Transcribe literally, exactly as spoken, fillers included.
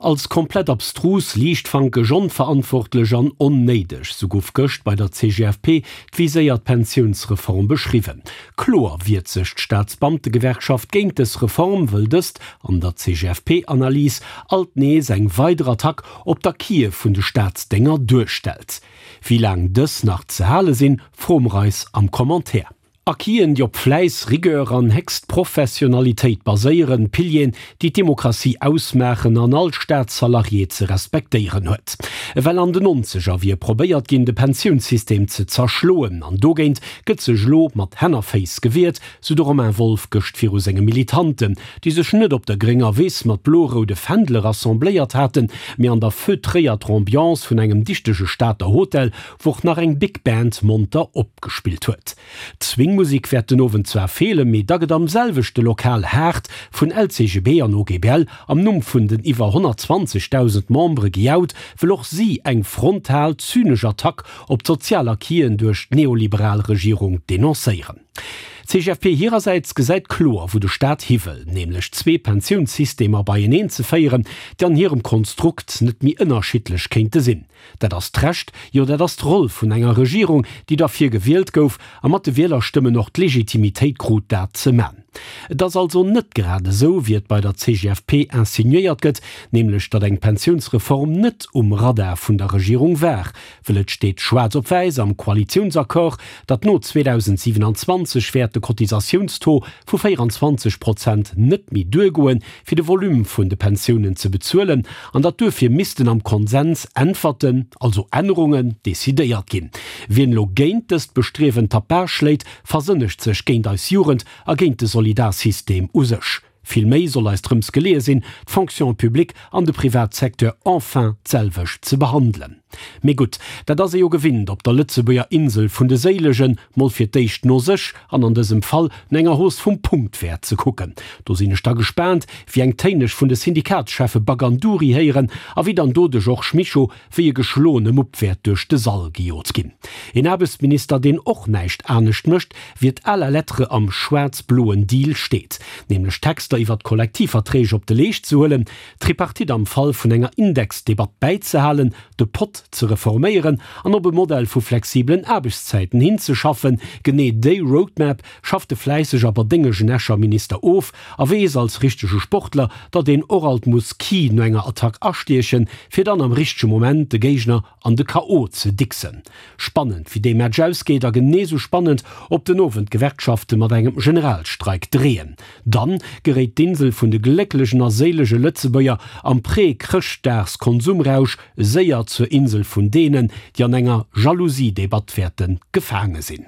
Als komplett abstrus, liichtfankeg, onverantwortlech an onnéideg, sou gouf gëscht bei der C G F P d'viséiert Pensiounsreform beschriwwen. Kloer wiert sech d'Staatsbeamtegewerkschaft géint dës Reform, wëll dëst an der C G F P-Analys alt nees eng weider Attack op d'Acquise vun de Staatsdénger duerstellt. Wéi laang dës nach ze hale sinn, froe mer eis am Commentaire. Acquisen, déi op Fläiss, Rigueur an héchst Professionalitéit baséieren, Pilieren, déi d'Demokratie ausmaachen an all Staatssalarié ze respektéieren huet. Well an den Nonzeger wier probéiert ginn, de Pensiounssystem ze zerschloen, an dogéint gëtt sech lo mat Hänn a Féiss gewiert, sou de Romain Wolff gëscht viru senge Militanten, déi sech net op der grénger Wiss mat blo-roude Fändele rassembléiert haten, mee an der feutréierter Ambiance vun engem dichtege Stater Hotel, wou och nach eng Big Band monter opgespillt huet. D'Swingmusik wäert den Owend zwar feelen, mee da gëtt am selwechte Lokal haart vun L C G B an O G B L am Numm vun den iwwer honnertzwanzegdausend Membere gejaut, wëll och si eng frontal zynesch Attack op d'sozial Acquisen duerch d'neoliberal Regierung denoncéieren. D'C G F P hirersäits gesäit kloer, wou de Staat hi wëll, nämlech zwee Pensiounssystemer beieneen ze féieren, déi an hirem Konstrukt net méi ënnerschiddlech kéinte sinn. Dat ass d'Recht, jo dat ass d'Roll vun enger Regierung, déi derfir gewielt gouf a mat de Wielerstëmmen och d'Legitimitéit krut, dat ze man. Et ass also net grad esou, wéi et bei der C G F P insinuéiert gëtt, nämlech datt eng Pensiounsreform net um Radar vun der Regierung war, well et steet schwaarz op wäiss am Koalitiounsaccord, datt no zweedausendsiewenanzwanzeg wäert de Cotisatiounstaux vu véieranzwanzeg Prozent net méi duergoen, fir de Volume vun de Pensiounen ze bezuelen, an datt duerfir missten am Konsens Äntwerten, also Ännerungen, decidéiert ginn. Wien lo géint dëst Bestriewen Tapage schléit, versënnegt sech géint eis Jugend a géint de Solidarsystem u sech. Vill méi soll eis drëms geleeë sinn, d'Fonction publique an de Privatsecteur enfin d'selwecht ze behandelen. Mee gutt, dat ass ee jo gewinnt op der Lëtzebuerger Insel vun de Séilegen, mol fir d'éischt no sech an an dësem Fall no enger Hausse vum Punktwäert ze kucken. Do sinn ech da gespaant, wéi eng Téin ech vun de Syndikatscheffe Baganduri héieren a wéi dann do de Georges Mischo wéi e geschloene Mupp wäert duerch de Sall gejot ginn. Een Aarbechtsminister, deen och näischt anescht mécht, wéi et à la lettre am schwaarz-bloen Deal steet, nämlech Texter iwwer d'Kollektivverträg op de Leescht ze huelen, d'Tripartite am Fall vun enger Indexdebatt bäizehalen, de Pot ze reforméieren an op e Modell vu flexibelen Aarbechtszäiten hinzeschaffen. Genee déi Roadmap schafft de fläissege awer déngegen Escher Minister of a weess als richtege Sportler, datt een och alt muss ki no enger Attack astiechen, fir dann am richtege Moment de Géigner an de K O ze diksen. Spannend, wéi dee Match ausgeet, a genee sou spannend, ob den Owend d'Gewerkschafte mat engem Generalstreik dreeën. Dann geréit d'Insel vun de glécklechen a séilege Lëtzebuerger am Prä-Chrëschtdagskonsumrausch séier zur Insel vun deenen, déi an enger Jalousie-Debatt wäerte gefaange sinn.